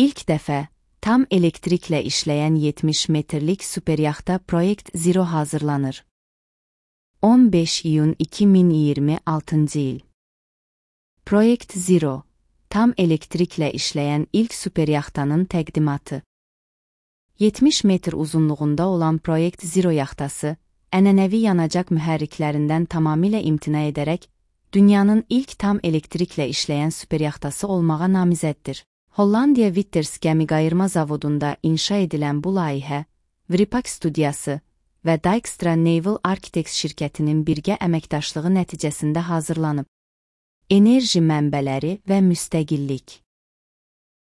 İlk dəfə tam elektriklə işləyən 70 metrlik superyaxta Project Zero hazırlanır. 15 iyun 2026 il. Project Zero, tam elektriklə işləyən ilk superyaxtanın təqdimatı. 70 metr uzunluğunda olan Project Zero yaxtası, ənənəvi yanacaq mühərriklərindən tamamilə imtina edərək, dünyanın ilk tam elektriklə işləyən superyaxtası olmağa namizəddir. Hollandiya Witters gəmiqayırma zavodunda inşa edilən bu layihə, Vripak studiyası və Dijkstra Naval Architects şirkətinin birgə əməkdaşlığı nəticəsində hazırlanıb. Enerji mənbələri və müstəqillik.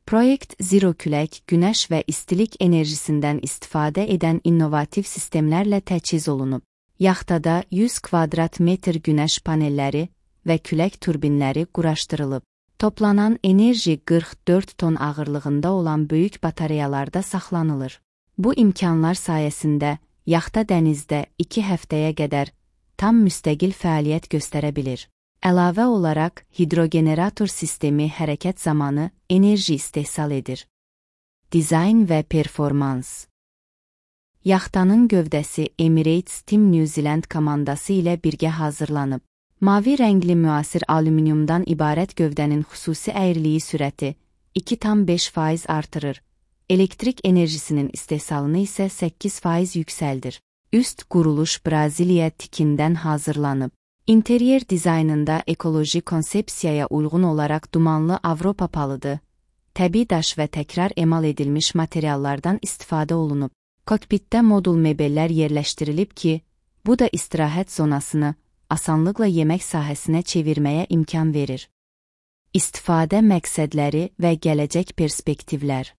Project Zero külək, günəş və istilik enerjisindən istifadə edən innovativ sistemlərlə təchiz olunub. Yaxtada 100 kvadrat metr günəş panelləri və külək turbinləri quraşdırılıb. Toplanan enerji 44 ton ağırlığında olan böyük batareyalarda saxlanılır. Bu imkanlar sayəsində yaxta dənizdə 2 həftəyə qədər tam müstəqil fəaliyyət göstərə bilir. Əlavə olaraq, hidrogenerator sistemi hərəkət zamanı enerji istehsal edir. Dizayn və performans. Yaxtanın gövdəsi Emirates Team New Zealand komandası ilə birgə hazırlanıb. Mavi rəngli müasir alüminiumdan ibarət gövdənin xüsusi əyriliyi sürəti 2,5% artırır. Elektrik enerjisinin istehsalını isə 8% yüksəldir. Üst quruluş Braziliya tikindən hazırlanıb. İnteriyer dizaynında ekoloji konsepsiyaya uyğun olaraq dumanlı Avropa palıdı, təbii daş və təkrar emal edilmiş materiallardan istifadə olunub. Kokpitdə modul mebellər yerləşdirilib ki, bu da istirahət zonasını asanlıqla yemək sahəsinə çevirməyə imkan verir. İstifadə məqsədləri və gələcək perspektivlər.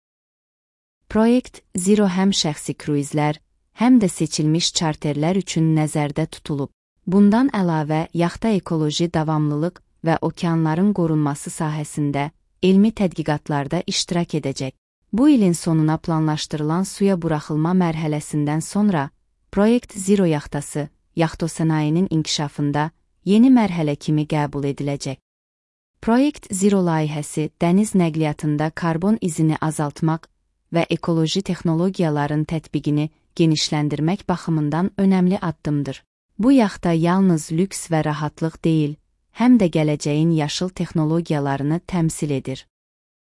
Project Zero həm şəxsi kruizlər, həm də seçilmiş çarterlər üçün nəzərdə tutulub. Bundan əlavə, yaxta ekoloji davamlılıq və okeanların qorunması sahəsində elmi tədqiqatlarda iştirak edəcək. Bu ilin sonuna planlaşdırılan suya buraxılma mərhələsindən sonra, Project Zero yaxtası, yaxtosənayinin inkişafında yeni mərhələ kimi qəbul ediləcək. Project Zero layihəsi dəniz nəqliyyatında karbon izini azaltmaq və ekoloji texnologiyaların tətbiqini genişləndirmək baxımından önəmli addımdır. Bu yaxta yalnız lüks və rahatlıq deyil, həm də gələcəyin yaşıl texnologiyalarını təmsil edir.